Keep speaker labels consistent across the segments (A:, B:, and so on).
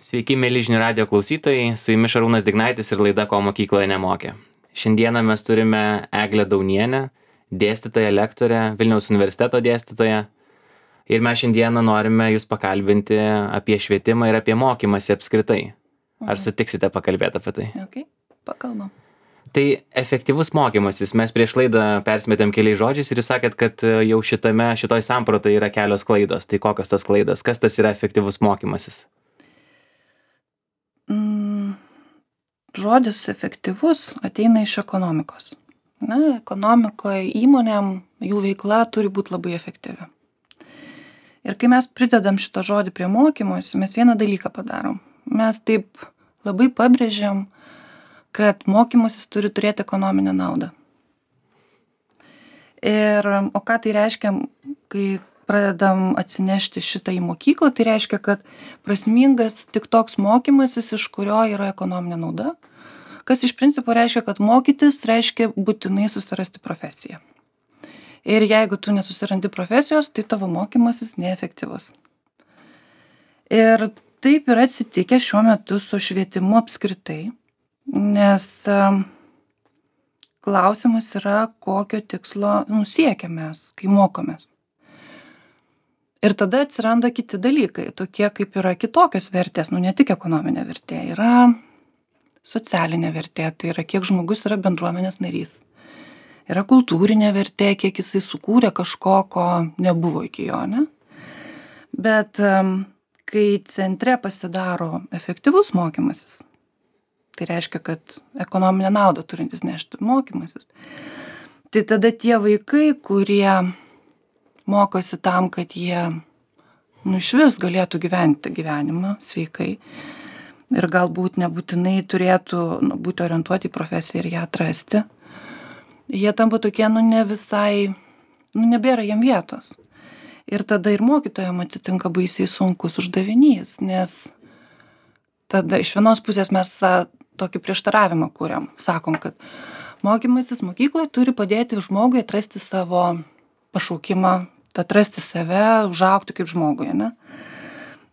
A: Sveiki, mėly žinių radio klausytojai, su jumis Šarūnas Dignaitis ir laida Ko mokykloje nemokė. Šiandieną mes turime Eglę Daunienę, dėstytoją, lektorę, Vilniaus universiteto dėstytoją. Ir mes šiandieną norime jūs pakalbinti apie švietimą ir apie mokymąsi apskritai. Ar sutiksite pakalbėti apie tai?
B: Okay, pakalbam.
A: Tai efektyvus mokymasis. Mes prieš laidą persimetėm keliais žodžiais ir jūs sakėt, kad jau šitoj sampratai yra kelios klaidos. Tai kokios tos klaidos? Kas tas yra efektyvus mokymasis?
B: Žodis efektyvus ateina iš ekonomikos. Ekonomikoje įmonėm jų veikla turi būti labai efektyvi. Ir kai mes pridedam šitą žodį prie mokymosi, mes vieną dalyką padarom. Mes taip labai pabrėžiam, kad mokymasis turi turėti ekonominę naudą. O ką tai reiškia, kai pradedam atsinešti šitą į mokyklą, tai reiškia, kad prasmingas tik toks mokymasis, iš kurio yra ekonominė nauda, kas iš principo reiškia, kad mokytis reiškia būtinai susirasti profesiją. Ir jeigu tu nesusirandi profesijos, tai tavo mokymasis neefektyvus. Ir taip yra atsitikę šiuo metu su švietimu apskritai, nes klausimas yra, kokio tikslo siekiam mes, kai mokomės. Ir tada atsiranda kiti dalykai, tokie kaip yra kitokios vertės, ne tik ekonominė vertė, yra socialinė vertė, tai yra kiek žmogus yra bendruomenės narys. Yra kultūrinė vertė, kiek jisai sukūrė kažko, ko nebuvo iki jo, ne? Bet kai centre pasidaro efektyvus mokymasis, tai reiškia, kad ekonominę naudą turintis nešti mokymasis, tai tada tie vaikai, kurie mokosi tam, kad jie išvis galėtų gyventi gyvenimą sveikai ir galbūt nebūtinai turėtų būti orientuoti į profesiją ir ją atrasti, jie tampa tokie ne visai, nebėra jiem vietos. Ir tada ir mokytojam atsitinka baisiai sunkus uždavinys, nes tada iš vienos pusės mes tokį prieštaravimą kuriam. Sakom, kad mokymasis mokykloje turi padėti žmogui atrasti savo pašaukimą, atrasti save, užaugti kaip žmogui, ne?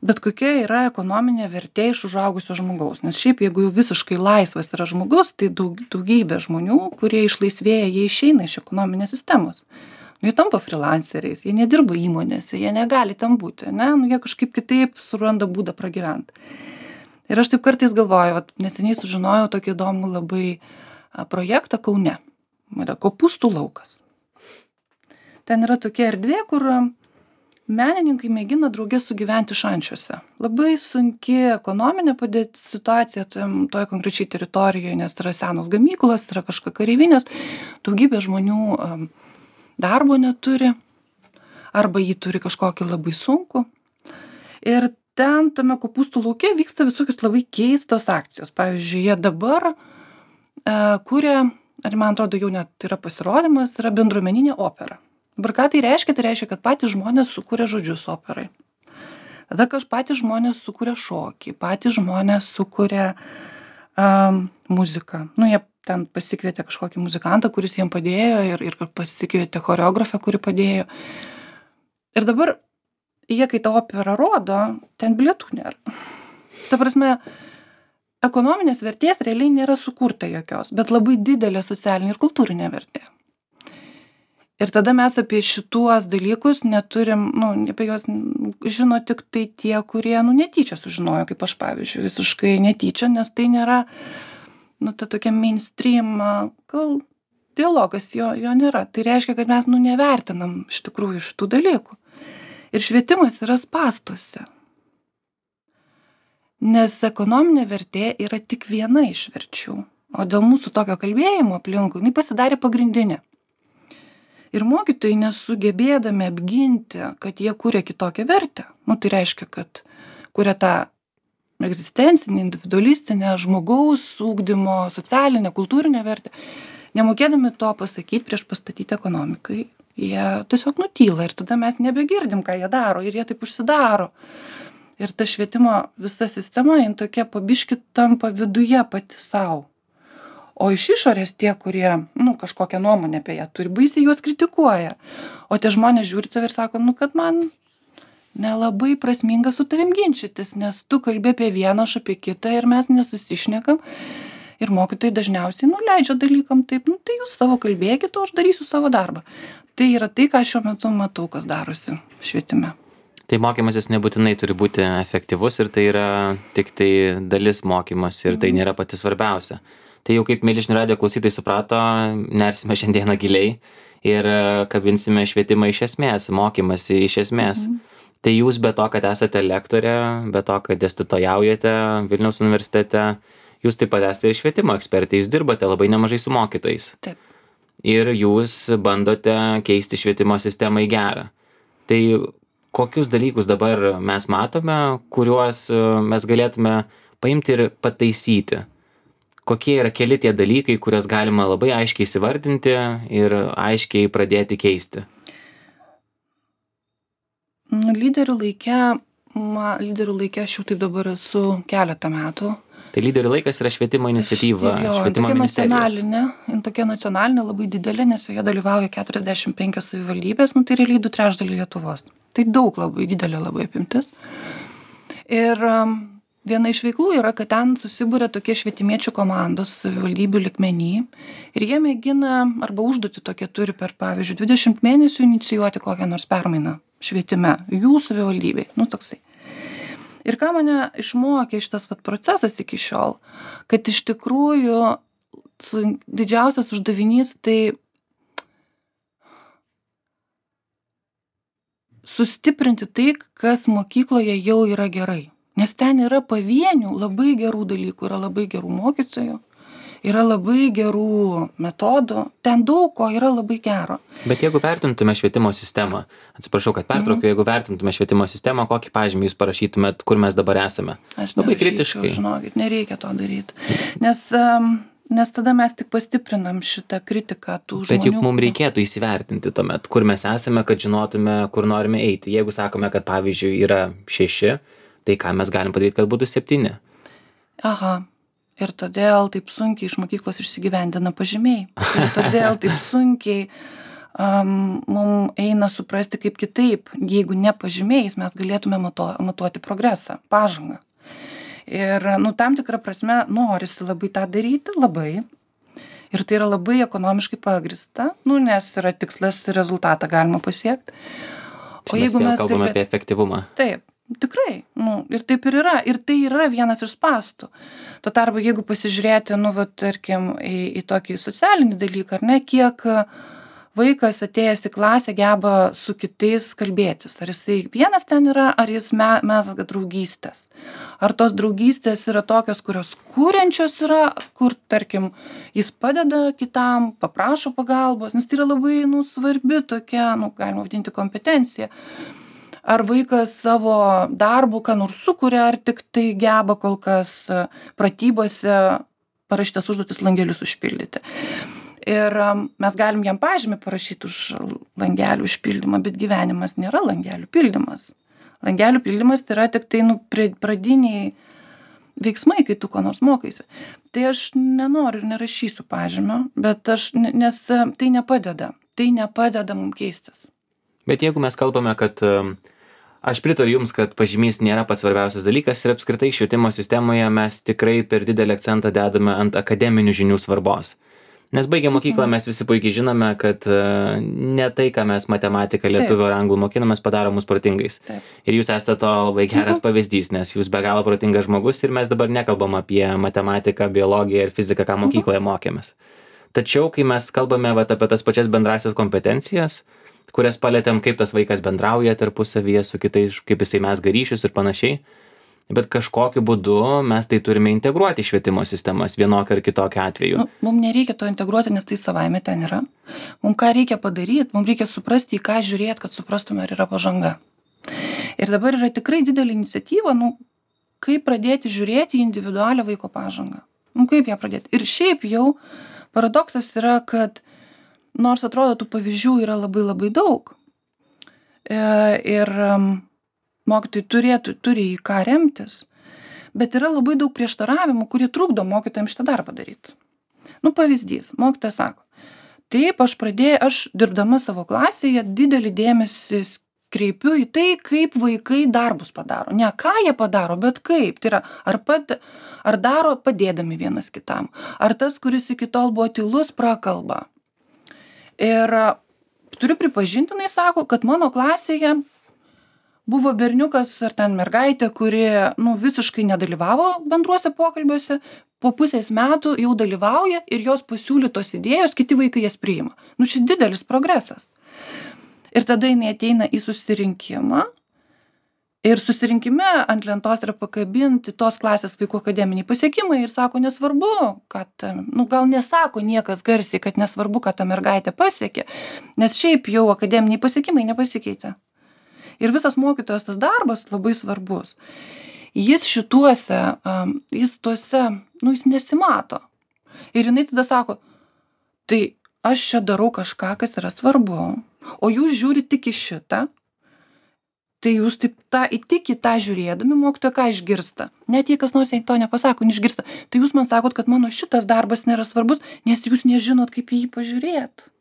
B: Bet kokia yra ekonominė vertė iš užaugusio žmogaus? Nes šiaip, jeigu jau visiškai laisvas yra žmogus, tai daugybė žmonių, kurie išlaisvėja, jie išeina iš ekonominės sistemos. Jie tampa freelanceriais, jie nedirba įmonėse, jie negali tam būti, ne? Jie kažkaip kitaip suranda būdą pragyventi. Ir aš taip kartais galvoju, neseniai sužinojau tokį įdomų labai projektą Kaune. Yra Kopūstų laukas. Ten yra tokia erdvė, kur menininkai mėgina drauge sugyventi šančiuose. Labai sunki ekonominė situacija toje konkrečiai teritorijoje, nes yra senos gamyklos, yra kažkokia kareivinės, daugybė žmonių darbo neturi, arba jį turi kažkokį labai sunku. Ir ten tame Kopūstų lauke vyksta visokios labai keistos akcijos. Pavyzdžiui, jie dabar kuria, ar man atrodo jau net yra pasirodymas, yra bendruomeninė opera. Dabar ką tai reiškia? Tai reiškia, kad patys žmonės sukuria žodžius operai. Tada patys žmonės sukuria šokį, patys žmonės sukuria muziką. Jie ten pasikvietė kažkokį muzikantą, kuris jiem padėjo ir pasikvietė choreografę, kuri padėjo. Ir dabar jie, kai tą operą rodo, ten bilietų nėra. Ta prasme, ekonominės vertės realiai nėra sukurta jokios, bet labai didelė socialinė ir kultūrinė vertė. Ir tada mes apie šituos dalykus neturim, apie juos žino tik tai tie, kurie, netyčia sužinojo, kaip aš pavyzdžiui, visiškai netyčia, nes tai nėra, ta tokia mainstream, dialogas jo nėra. Tai reiškia, kad mes, nevertinam iš tikrųjų šitų dalykų. Ir švietimas yra spąstuose. Nes ekonominė vertė yra tik viena iš verčių. O dėl mūsų tokio kalbėjimo aplinkui, jinai pasidarė pagrindinė. Ir mokytojai nesugebėdami apginti, kad jie kuria kitokią vertę. Tai reiškia, kad kuria tą egzistencinę, individualistinę, žmogaus ugdymo, socialinę, kultūrinę vertę. Nemokėdami to pasakyti prieš pastatyti ekonomikai, jie tiesiog nutyla ir tada mes nebegirdim, ką jie daro ir jie taip užsidaro. Ir ta švietimo visa sistema, jin tokia pabiški tampa viduje pati savo. O iš išorės tie, kurie, kažkokią nuomonę apie ją turi, baisiai juos kritikuoja. O tie žmonės žiūri tave ir sako, kad man nelabai prasminga su tavim ginčytis, nes tu kalbi apie vieną, aš apie kitą ir mes nesusišnekam. Ir mokytojai dažniausiai nuleidžia dalykam taip, nu tai jūs savo kalbėkit, o aš darysiu savo darbą. Tai yra tai, ką šiuo metu matau, kas darosi švietime.
A: Tai mokymasis nebūtinai turi būti efektyvus ir tai yra tik tai dalis mokymas ir tai nėra pati svarbiausia. Tai jau kaip mėly žinių radijo klausytojai suprato, nersime šiandieną giliai ir kabinsime švietimą iš esmės, mokymasi iš esmės. Tai jūs be to, kad esate lektorė, be to, kad dėstytojaujate Vilniaus universitete, jūs taip pat esate ir švietimo ekspertė, jūs dirbate labai nemažai su mokytojais.
B: Taip.
A: Ir jūs bandote keisti švietimo sistemą į gerą. Tai kokius dalykus dabar mes matome, kuriuos mes galėtume paimti ir pataisyti? Kokie yra keli tie dalykai, kuriuos galima labai aiškiai įsivardinti ir aiškiai pradėti keisti?
B: Lyderių laike aš jau taip dabar esu keletą metų.
A: Tai lyderių laikas yra švietimo iniciatyva, švietimo ministerijos.
B: Tokia nacionalinė labai didelė, nes joje dalyvauja 45 savivaldybės, tai realiai 2/3 Lietuvos. Tai daug labai didelė labai apimtis. Ir viena iš veiklų yra, kad ten susibūrė tokie švietimiečių komandos savivaldybių lygmeny ir jie mėgina arba užduotį tokią turi per, pavyzdžiui, 20 mėnesių inicijuoti kokią nors permainą švietime, jų savivaldybei, toksai. Ir ką mane išmokė šitas procesas iki šiol, kad iš tikrųjų didžiausias uždavinys tai sustiprinti tai, kas mokykloje jau yra gerai. Nes ten yra pavienių labai gerų dalykų, yra labai gerų mokytojų, yra labai gerų metodų, ten daug ko yra labai gero.
A: Bet jeigu vertintume švietimo sistemą, atsiprašau, kad pertraukiu, jeigu vertintume švietimo sistemą, kokį pažymį jūs parašytumėt, kur mes dabar esame?
B: Aš
A: labai kritiškai.
B: Žinokit, nereikia to daryti. Nes tada mes tik pastiprinam šitą kritiką tų žmonių.
A: Bet juk mums reikėtų įsivertinti tuomet, kur mes esame, kad žinotume, kur norime eiti. Jeigu sakome, kad pavyzdžiui yra 6, tai ką mes galim padaryti, kad būtų 7?
B: Aha. Ir todėl taip sunkiai iš mokyklos išsigyvendina pažymiai. Ir todėl taip sunkiai mums eina suprasti kaip kitaip. Jeigu ne pažymiais, mes galėtume matuoti progresą, pažangą. Ir tam tikrą prasme norisi labai tą daryti, labai. Ir tai yra labai ekonomiškai pagrįsta, nes yra tikslas ir rezultatą galima pasiekti.
A: O jeigu mes kalbame apie efektyvumą.
B: Taip. Tikrai, ir taip ir yra. Ir tai yra vienas iš spąstų. Tuo tarpu, jeigu pasižiūrėti, tarkim, į tokį socialinį dalyką, ar ne, kiek vaikas atėjęs į klasę geba su kitais kalbėtis. Ar jisai vienas ten yra, ar jis mezga draugystės. Ar tos draugystės yra tokios, kurios kuriančios yra, kur, tarkim, jis padeda kitam, paprašo pagalbos, nes tai yra labai, svarbi tokia, galima vadinti kompetencija. Ar vaikas savo darbų, ką nors sukuria, ar tik tai geba kol kas pratybose parašytas užduotis langelius užpildyti. Ir mes galim jam pažymį parašyti už langelių užpildymą, bet gyvenimas nėra langelių pildymas. Langelių pildymas tai yra tik tai pradiniai veiksmai, kai tu ko nors mokaisi. Tai aš nenoriu ir nerašysiu pažymio, bet nes tai nepadeda. Tai nepadeda mums keistis.
A: Bet jeigu mes kalbame, kad aš pritariu jums, kad pažymys nėra pats svarbiausias dalykas ir apskritai švietimo sistemoje mes tikrai per didelį akcentą dedame ant akademinių žinių svarbos. Nes baigę mokyklą mes visi puikiai žinome, kad ne tai, ką mes matematiką, lietuvių ar anglų mokinamės, padaro mus protingais.
B: Taip.
A: Ir jūs esate to labai geras pavyzdys, nes jūs be galo protingas žmogus ir mes dabar nekalbam apie matematiką, biologiją ir fiziką, ką mokykloje mokėmės. Tačiau, kai mes kalbame apie tas pačias bendrasias kompetencijas, kurias palėtėm, kaip tas vaikas bendrauja tarpusavyje su kitais, kaip jisai mezga ryšius ir panašiai. Bet kažkokiu būdu mes tai turime integruoti į švietimo sistemas vienokiu ar kitokiu atveju.
B: Mums nereikia to integruoti, nes tai savaime ten yra. Mums ką reikia padaryti, mums reikia suprasti, į ką žiūrėti, kad suprastume, ar yra pažanga. Ir dabar yra tikrai didelė iniciatyva, kaip pradėti žiūrėti į individualią vaiko pažangą. Kaip ją pradėti. Ir šiaip jau paradoksas yra, kad nors atrodo, tų pavyzdžių yra labai labai daug. Ir mokytojai turi į ką remtis, bet yra labai daug prieštaravimų, kurie trukdo mokytojams šitą darbą daryti. Pavyzdys, mokytojas sako, taip, aš dirbdama savo klasėje didelį dėmesį kreipiu į tai, kaip vaikai darbus padaro. Ne ką jie padaro, bet kaip. Tai yra, ar daro padėdami vienas kitam. Ar tas, kuris iki tol buvo tylus, prakalba. Ir turiu pripažinti, jinai sako, kad mano klasėje buvo berniukas ar ten mergaitė, kuri visiškai nedalyvavo bendruose pokalbiuose, po pusės metų jau dalyvauja ir jos pasiūlytos idėjos, kiti vaikai jas priima. Čia didelis progresas. Ir tada jinai ateina į susirinkimą ir susirinkime ant lentos yra pakabinti tos klasės vaikų akademiniai pasiekimai ir sako, nesvarbu, kad, gal nesako niekas garsiai, kad nesvarbu, kad ta mergaitė pasiekė, nes šiaip jau akademiniai pasiekimai nepasikeitė. Ir visas mokytojas tas darbas labai svarbus. Jis šituose, jis nesimato. Ir jinai tada sako, tai aš čia darau kažką, kas yra svarbu, o jūs žiūrit tik į šitą, tai jūs taip tik į tą žiūrėdami mokytoją ką išgirsta. Net jei kas nors to nepasako, neišgirsta. Tai jūs man sakot, kad mano šitas darbas nėra svarbus, nes jūs nežinot, kaip į jį pažiūrėt.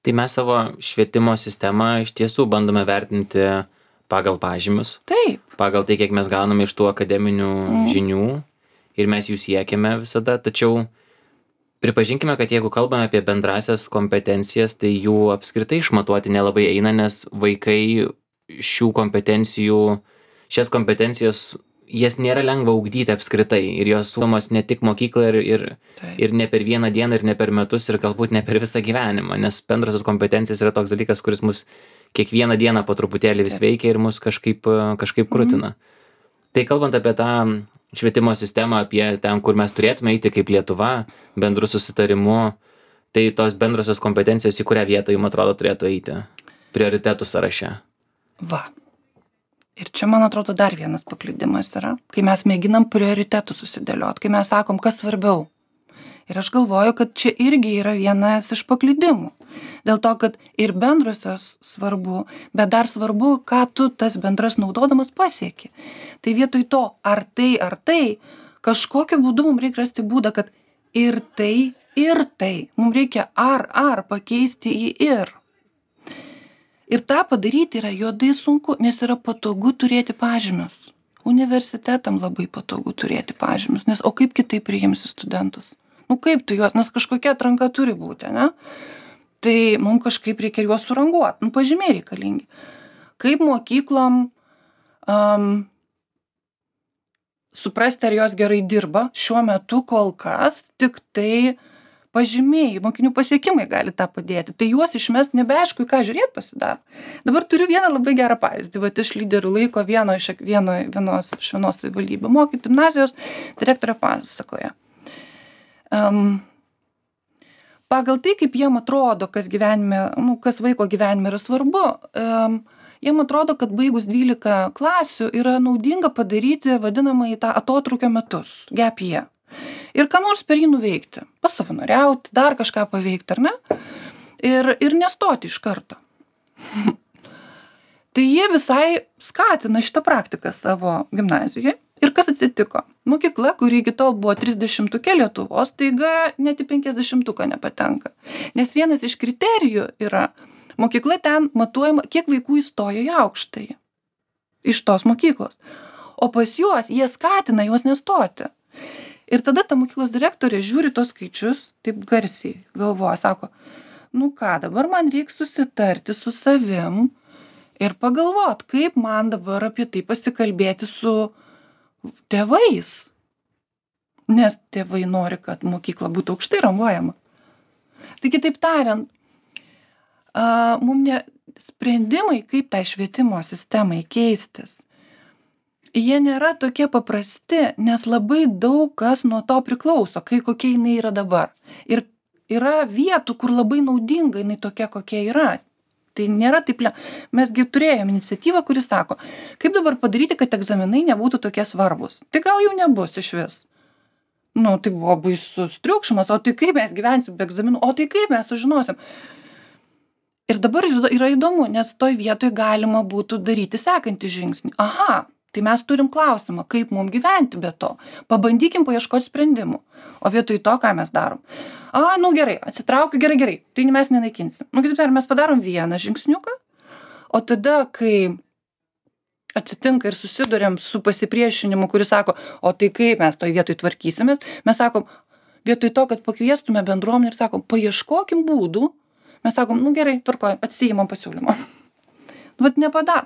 A: Tai mes savo švietimo sistemą iš tiesų bandome vertinti pagal pažymius.
B: Taip.
A: Pagal tai, kiek mes gauname iš tų akademinių žinių ir mes jų siekiame visada. Tačiau pripažinkime, kad jeigu kalbame apie bendrasias kompetencijas, tai jų apskritai išmatuoti nelabai eina, nes vaikai šias kompetencijas jas nėra lengva ugdyti apskritai ir jos ugdomos ne tik mokykloje ir ne per vieną dieną ir ne per metus ir galbūt ne per visą gyvenimą, nes bendrosios kompetencijos yra toks dalykas, kuris mus kiekvieną dieną po truputėlį vis veikia ir mus kažkaip krutina. Tai kalbant apie tą švietimo sistemą, apie ten, kur mes turėtume eiti kaip Lietuva, bendru susitarimu, tai tos bendrosios kompetencijos į kurią vietą jums atrodo turėtų eiti prioritetų sąraše?
B: Va. Ir čia, man atrodo, dar vienas paklydimas yra, kai mes mėginam prioritetų susidėliot, kai mes sakom, kas svarbiau. Ir aš galvoju, kad čia irgi yra vienas iš paklydimų. Dėl to, kad ir bendrosios svarbu, bet dar svarbu, ką tu tas bendras naudodamas pasieki. Tai vietoj to, ar tai, kažkokiu būdu mums reikia rasti būdą, kad ir tai, mums reikia ar pakeisti į ir. Ir tą padaryti yra juodai sunku, nes yra patogu turėti pažymius. Universitetam labai patogu turėti pažymius, nes o kaip kitaip priimsi studentus? Kaip tu juos, nes kažkokia atranka turi būti, ne? Tai mums kažkaip reikia juos suranguoti, pažymiai reikalingi. Kaip mokyklom suprasti, ar jos gerai dirba, šiuo metu kol kas tik tai pažymiai, mokinių pasiekimai gali tą padėti. Tai juos išmest nebeaišku, į ką žiūrėti pasidaro. Dabar turiu vieną labai gerą pavyzdį. Vat iš lyderių laiko vienos savivaldybių mokyti gimnazijos direktorė pasakoja. Pagal tai, kaip jiem atrodo, kas vaiko gyvenime yra svarbu, jiem atrodo, kad baigus 12 klasių yra naudinga padaryti vadinamąjį tą atotrūkio metus, gap year. Ir ką nors per jį nuveikti, pasavanoriauti, dar kažką paveikti, ar ne? Ir nestoti iš karto. Tai jie visai skatina šitą praktiką savo gimnazijoje. Ir kas atsitiko? Mokykla, kuri iki tol buvo 30-tuke Lietuvos, taiga net į 50-tuką nepatenka. Nes vienas iš kriterijų yra, mokykla ten matuojama, kiek vaikų įstojo į aukštąjį. Iš tos mokyklos. O pas juos jie skatina juos nestoti. Ir tada ta mokyklos direktorė žiūri tos skaičius, taip garsiai galvoja, sako, dabar man reiks susitarti su savim ir pagalvot, kaip man dabar apie tai pasikalbėti su tėvais. Nes tėvai nori, kad mokykla būtų aukštai ranguojama. Tai kitaip tariant, sprendimai, kaip tai švietimo sistemai keistis, jie nėra tokie paprasti, nes labai daug kas nuo to priklauso, kokia jinai yra dabar. Ir yra vietų, kur labai naudinga jinai tokia, kokia yra. Tai nėra taip Mesgi turėjome iniciatyvą, kuris sako, kaip dabar padaryti, kad egzaminai nebūtų tokie svarbus. Tai gal jau nebus iš vis. Tai buvo baisus triukšmas, o tai kaip mes gyvensim be egzaminų, o tai kaip mes sužinosim. Ir dabar yra įdomu, nes toj vietoj galima būtų daryti sekantį žingsnį. Aha. Tai mes turim klausimą, kaip mums gyventi be to. Pabandykim paieškoti sprendimų. O vietoj to, ką mes darom. Gerai, atsitraukiu, gerai. Tai mes nenaikinsim. Kitaip tariant, mes padarom vieną žingsniuką, O tada, kai atsitinka ir susiduriam su pasipriešinimu, kuris sako, o tai kaip mes toj vietoj tvarkysimės, mes sakom, vietoj to, kad pakviestume bendruomenę ir sakom, paieškokim būdų, mes sakom, nu gerai, tvarkoj, atsiimam pasiūlymą. Vat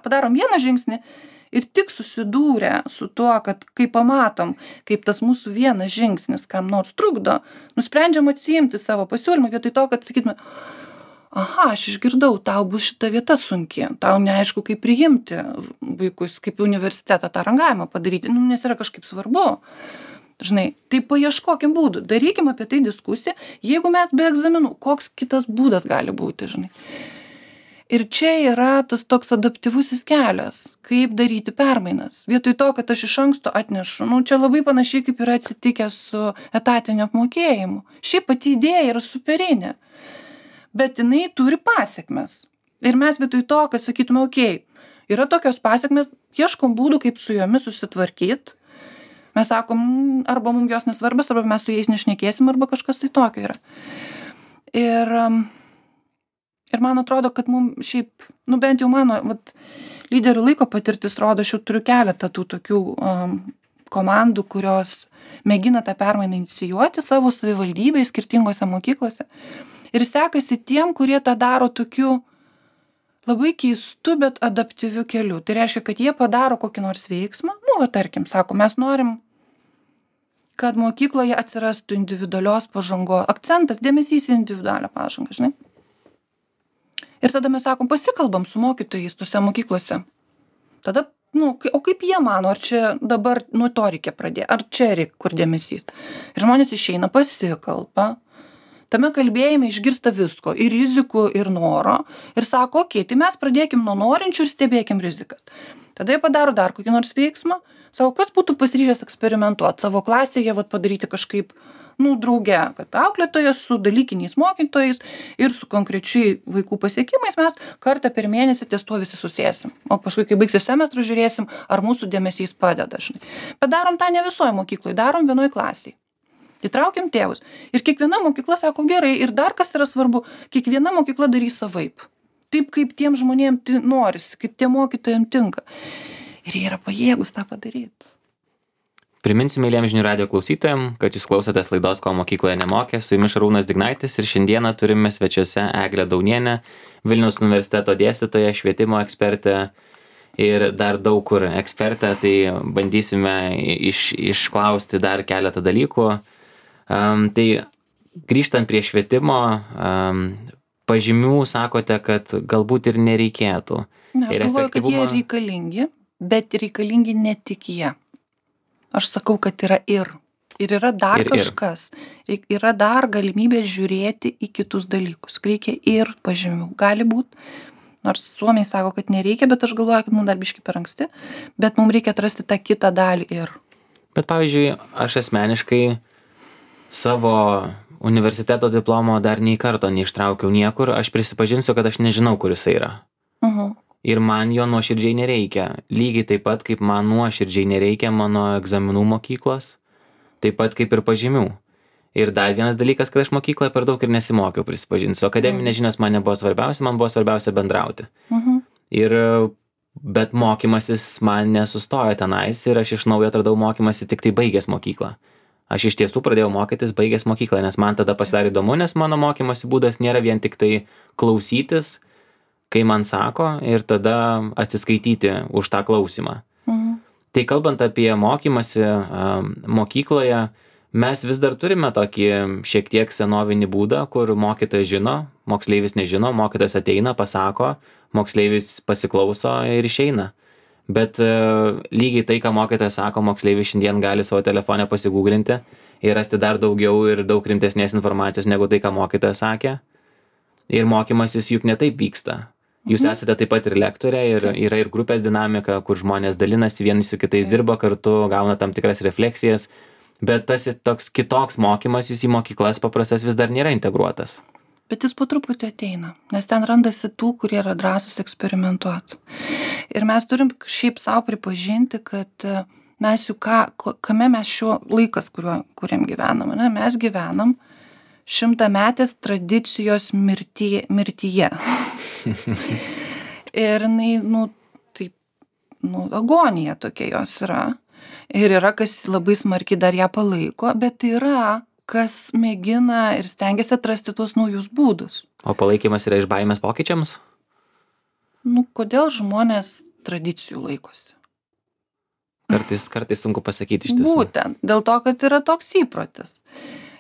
B: padarom vieną žingsnį ir tik susidūrę su tuo, kad kai pamatom, kaip tas mūsų vienas žingsnis kam nors trukdo, nusprendžiam atsiimti savo pasiūlymą vietoj to, kad sakytume, aha, aš išgirdau, tau bus šita vieta sunki, tau neaišku, kaip priimti vaikus, kaip universitetą tą rangavimą padaryti, nes yra kažkaip svarbu. Žinai, tai paieškokim būdų, darykim apie tai diskusiją, jeigu mes be egzaminų, koks kitas būdas gali būti, žinai. Ir čia yra tas toks adaptyvusis kelias, kaip daryti permainas. Vietoj to, kad aš iš anksto atnešu, čia labai panašiai kaip yra atsitikę su etatiniu apmokėjimu. Šiaip pati idėja yra superinė, bet jinai turi pasekmes. Ir mes vietoj to, kad sakytume, okei, yra tokios pasekmes, ieškom būdų, kaip su jomis susitvarkyti. Mes sakom, arba mums jos nesvarbas, arba mes su jais nešnekėsim, arba kažkas tai tokio yra. Ir man atrodo, kad mums šiaip, bent jau mano lyderių laiko patirtis rodo, aš jau turiu keletą tų tokių komandų, kurios mėgina tą permainą inicijuoti savo savivaldybėje, skirtingose mokyklose. Ir sekasi tiem, kurie tą daro tokiu labai keistu, bet adaptyviu keliu. Tai reiškia, kad jie padaro kokį nors veiksmą, tarkim, sako, mes norim, kad mokykloje atsirastų individualios pažangos, akcentas, dėmesys į individualią pažangą, žinai. Ir tada mes sakom, pasikalbam su mokytojais tose mokyklose. Tada, o kaip jie mano, ar čia dabar nuo to reikia pradėti, ar čia reikia kur dėmesys. Ir žmonės išeina, pasikalba, tame kalbėjime išgirsta visko, ir rizikų, ir noro, ir sako, okei, tai mes pradėkim nuo norinčių ir stebėkim rizikas. Tada jie padaro dar kokį nors veiksmą, savo, kas būtų pasiryžęs eksperimentuoti, savo klasėje padaryti kažkaip, drauge, kad auklėtojas su dalykiniais mokytojais ir su konkrečiai vaikų pasiekimais mes kartą per mėnesį ties tuo visi susėsim. O paskui, kai baigsis semestras, žiūrėsim, ar mūsų dėmesys padeda. Žinai. Bet darom tą ne visoje mokykloje, darom vienoj klasėje. Įtraukiam tėvus. Ir kiekviena mokykla sako gerai, ir dar kas yra svarbu, kiekviena mokykla darys savaip. Taip, kaip tiem žmonėms norisi, kaip tiem mokytojams tinka. Ir jie yra pajėgus tą padaryti.
A: Priminsiu mėlyjams žinių radijo klausytojams, kad jūs klausotės laidos Ko mokykloje nemokė, su jumis Šarūnas Dignaitis ir šiandieną turime svečiuose Eglę Daunienę, Vilniaus universiteto dėstytoją, švietimo ekspertę ir dar daug kur ekspertę, tai bandysime išklausti dar keletą dalykų. Tai grįžtant prie švietimo, pažymių sakote, kad galbūt ir nereikėtų.
B: Aš galvoju, kad jie reikalingi, bet reikalingi ne tik jie. Aš sakau, kad yra ir yra dar kažkas, yra dar galimybė žiūrėti į kitus dalykus, reikia ir pažymių, gali būti, nors suomiai sako, kad nereikia, bet aš galvoju, kad mums dar biškai per anksti, bet mums reikia atrasti tą kitą dalį ir.
A: Bet pavyzdžiui, aš asmeniškai savo universiteto diplomo dar nei karto neištraukiau niekur, aš prisipažinsiu, kad aš nežinau, kur jisai yra. Ir man jo nuoširdžiai nereikia. Lygiai taip pat, kaip man nuoširdžiai nereikia mano egzaminų mokyklos, taip pat kaip ir pažymių. Ir dar vienas dalykas, kad aš mokykloje per daug ir nesimokiau, prisipažinsiu. Akademinės žinios man nebuvo svarbiausia, man buvo svarbiausia bendrauti. Bet mokymasis man nesustojo tenais ir aš iš naujo atradau mokymasi tik tai baigęs mokyklą. Aš iš tiesų pradėjau mokytis baigęs mokyklą, nes man tada pasidarė įdomu, nes mano mokymosi būdas nėra vien tik tai klausytis, kai man sako, ir tada atsiskaityti už tą klausimą. Tai kalbant apie mokymasi mokykloje, mes vis dar turime tokį šiek tiek senovinį būdą, kur mokytojas žino, moksleivis nežino, mokytojas ateina, pasako, moksleivis pasiklauso ir išeina. Bet lygiai tai, ką mokytojas sako, moksleivis šiandien gali savo telefone pasigūglinti ir rasti dar daugiau ir daug rimtesnės informacijos negu tai, ką mokytojas sakė. Ir mokymasis juk ne taip vyksta. Jūs esate taip pat ir lektorė ir yra ir grupės dinamika, kur žmonės dalinasi, vieni su kitais dirba kartu, gauna tam tikras refleksijas, bet tas toks kitoks mokymasis į mokyklas paprastas vis dar nėra integruotas.
B: Bet jis po truputį ateina, nes ten randasi tų, kurie yra drąsūs eksperimentuoti. Ir mes turim šiaip savo pripažinti, kad mes jau kame mes šiuo laikas, kuriam gyvenam, ne? Mes gyvenam 100-metės tradicijos mirtyje. Ir jinai, taip, agonija tokia jos yra. Ir yra, kas labai smarkiai dar ją palaiko, bet yra, kas mėgina ir stengiasi atrasti tuos naujus būdus.
A: O palaikymas yra iš baimės pokyčiams?
B: Kodėl žmonės tradicijų laikosi?
A: Kartais sunku pasakyti iš tiesų.
B: Būtent, dėl to, kad yra toks įprotis.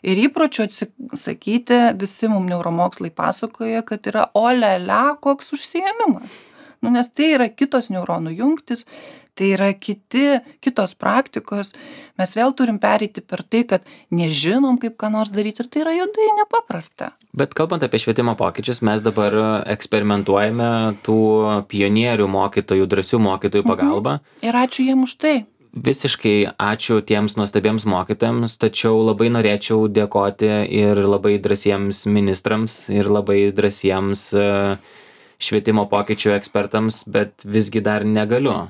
B: Ir įpročių atsisakyti, visi mums neuromokslai pasakoja, kad yra olelia koks užsiėmimas. Nes tai yra kitos neuronų jungtis, tai yra kitos praktikos. Mes vėl turim pereiti per tai, kad nežinom, kaip ką nors daryti, ir tai yra juodai nepaprasta.
A: Bet kalbant apie švietimo pokyčius, mes dabar eksperimentuojame tų pionierių mokytojų, drąsių mokytojų pagalba.
B: Ir ačiū jiem už tai.
A: Visiškai ačiū tiems nuostabiems mokytojams, tačiau labai norėčiau dėkoti ir labai drąsiems ministrams, ir labai drąsiems švietimo pokyčių ekspertams, bet visgi dar negaliu.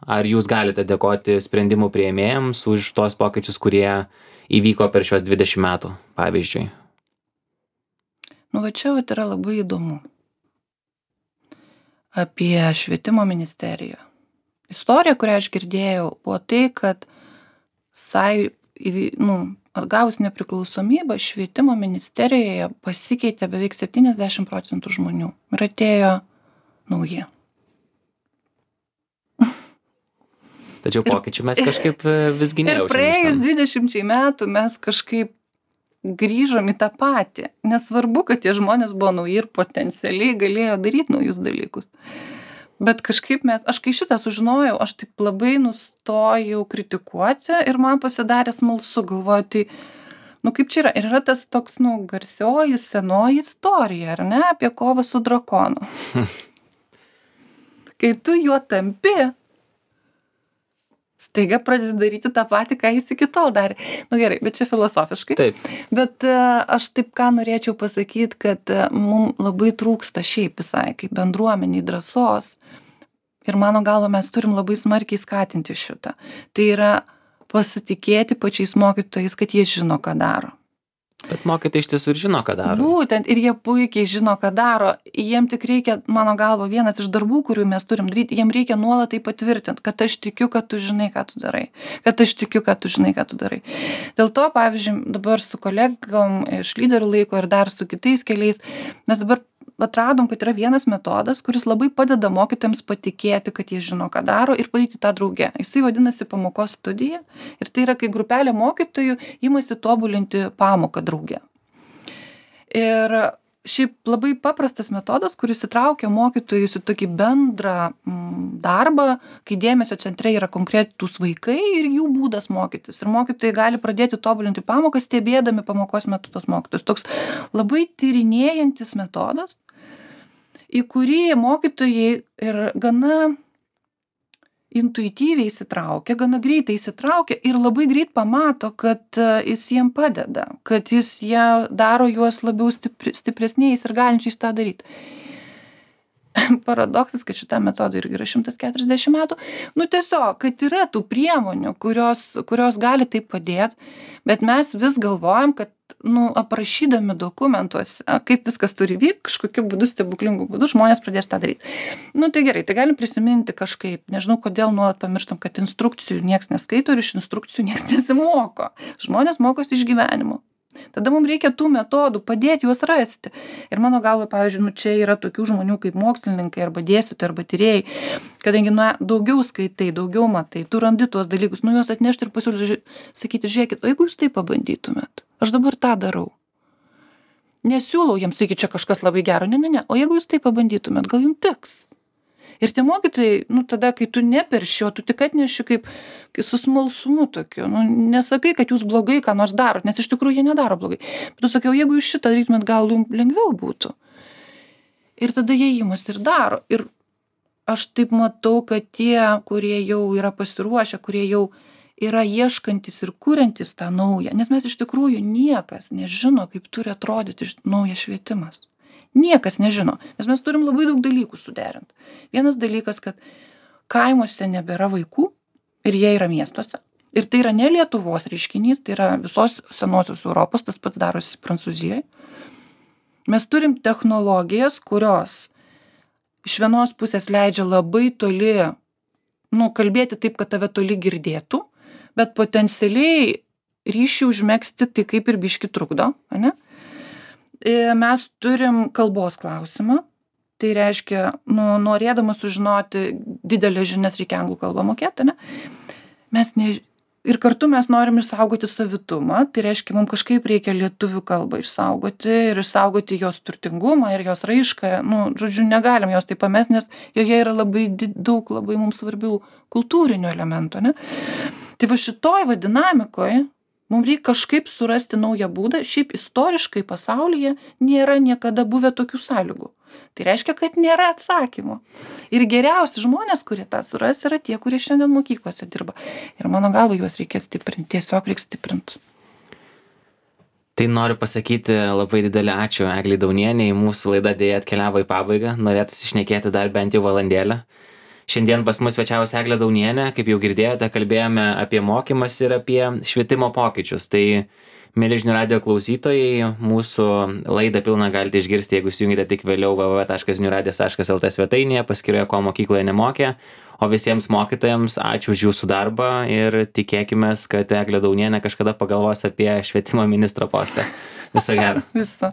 A: Ar jūs galite dėkoti sprendimų priėmėjams už tos pokyčius, kurie įvyko per šios 20 metų, pavyzdžiui?
B: Va čia yra labai įdomu. Apie švietimo ministeriją. Istorija, kurią aš girdėjau, buvo tai, kad atgavus nepriklausomybę, švietimo ministerijoje pasikeitė beveik 70% žmonių ir atėjo nauji.
A: Tačiau pokyčių mes kažkaip visgi nejaučiam.
B: Ir praėjus 20 metų mes kažkaip grįžom į tą patį. Nesvarbu, kad tie žmonės buvo nauji ir potencialiai galėjo daryti naujus dalykus. Bet kažkaip aš kai šitą sužinojau, aš taip labai nustojau kritikuoti ir man pasidarė smalsu, galvoju, tai, kaip čia yra. Ir yra tas toks, garsioji senoji istorija, ar ne, apie kovą su drakonu. Kai tu juo tampi, staiga pradedi daryti tą patį, ką jis iki tol darė. Gerai, bet čia filosofiškai.
A: Taip.
B: Bet aš taip ką norėčiau pasakyti, kad mums labai trūksta šiaip visai, kaip bendruomeniai drąsos. Ir mano galva mes turim labai smarkiai skatinti šitą. Tai yra pasitikėti pačiais mokytojais, kad jie žino, ką daro.
A: Bet mokytojai iš tiesų ir žino, ką daro.
B: Būtent, ir jie puikiai žino, ką daro. Jiem tik reikia, mano galva, vienas iš darbų, kurių mes turim daryti, jiem reikia nuolat tai patvirtinti, kad aš tikiu, kad tu žinai, ką tu darai. Kad aš tikiu, kad tu žinai, ką tu darai. Dėl to, pavyzdžiui, dabar su kolegom iš lyderių laiko ir dar su kitais keliais, mes dabar atradom, kad yra vienas metodas, kuris labai padeda mokytojams patikėti, kad jie žino, ką daro ir padaryti tą drauge. Jisai vadinasi pamokos studija ir tai yra, kai grupelė mokytojų imasi tobulinti pamoką drauge. Ir šiaip labai paprastas metodas, kuris įtraukia mokytojus į tokį bendrą darbą, kai dėmesio centre yra konkretūs vaikai ir jų būdas mokytis. Ir mokytojai gali pradėti tobulinti pamoką, stebėdami pamokos metu tos mokytojus. Toks labai tyrinėjantis metodas, į kurį mokytojai ir gana intuityviai įsitraukia, gana greitai įsitraukia ir labai greit pamato, kad jis jiem padeda, kad jis daro juos labiau stipresniais ir galinčiais tą daryti. Paradoksas, kad šitam metodui irgi yra 140 metų. Tiesiog, kad yra tų priemonių, kurios gali taip padėti, bet mes vis galvojam, kad aprašydami dokumentuose, kaip viskas turi vykti, kažkokiu būdu, stebuklingu būdu, žmonės pradės tą daryti. Tai gerai, tai galim prisiminti kažkaip, nežinau, kodėl nuolat pamirštam, kad instrukcijų nieks neskaito ir iš instrukcijų nieks nesimoko. Žmonės mokosi iš gyvenimo. Tada mums reikia tų metodų, padėti juos rasti. Ir mano galva, pavyzdžiui, čia yra tokių žmonių kaip mokslininkai arba dėstytojai arba tyrėjai, kadangi daugiau skaitai, daugiau matai, tu randi tuos dalykus, juos atnešti ir pasiūlyti, sakyti, žiūrėkit, o jeigu jūs tai pabandytumėt, aš dabar tą darau. Nesiūlau jiems, sakyti, čia kažkas labai gero, ne, o jeigu jūs tai pabandytumėt, gal jums tiks. Ir tie mokytojai, tada, kai tu neperši, o tu tik atneši kaip su smalsumu tokiu, nesakai, kad jūs blogai ką nors darot, nes iš tikrųjų jie nedaro blogai. Bet tu sakiau, jeigu jūs šitą darytumėt, gal jums lengviau būtų. Ir tada jie įmas ir daro. Ir aš taip matau, kad tie, kurie jau yra pasiruošę, kurie jau yra ieškantis ir kuriantis tą naują, nes mes iš tikrųjų niekas nežino, kaip turi atrodyti naujas švietimas. Niekas nežino, nes mes turim labai daug dalykų suderinti. Vienas dalykas, kad kaimuose nebėra vaikų ir jie yra miestuose. Ir tai yra ne Lietuvos reiškinys, tai yra visos senosios Europos, tas pats darosi Prancūzijoje. Mes turim technologijas, kurios iš vienos pusės leidžia labai toli, nu, kalbėti taip, kad tave toli girdėtų, bet potencialiai ryšį užmegzti tai kaip ir biški trukdo, ane? Mes turim kalbos klausimą, tai reiškia, nu, norėdamas sužinoti didelės žinias reikia anglų kalbą mokėti, ane? Ir kartu mes norim išsaugoti savitumą, tai reiškia, mums kažkaip reikia lietuvių kalbą išsaugoti ir išsaugoti jos turtingumą ir jos raišką, nu, žodžiu, negalim jos taip pamest, nes joje yra labai daug labai mums svarbių kultūrinių elementų, ne? Tai va šitoj dinamikoje mums reikia kažkaip surasti naują būdą, šiaip istoriškai pasaulyje nėra niekada buvę tokių sąlygų. Tai reiškia, kad nėra atsakymo. Ir geriausi žmonės, kurie tą suras, yra tie, kurie šiandien mokyklose dirba. Ir mano galva, juos reikia stiprinti, tiesiog reikia stiprinti.
A: Tai noriu pasakyti labai didelį ačiū Eglei Daunienei, mūsų laida dėja atkeliavo į pabaigą, norėtųsi šnekėti dar bent jau valandėlę. Šiandien pas mus svečiavosi Eglė Daunienė, kaip jau girdėjote, kalbėjome apie mokymas ir apie švietimo pokyčius. Tai mieli žinių radijo klausytojai, mūsų laidą pilną galite išgirsti, jeigu įsijungite tik vėliau www.žiniųradijas.lt svetainėje, paskyroje Ko mokykloje nemokė. O visiems mokytojams ačiū už jūsų darbą ir tikėkimės, kad Eglė Daunienė kažkada pagalvos apie švietimo ministro postą. Viso gero.
B: Viso.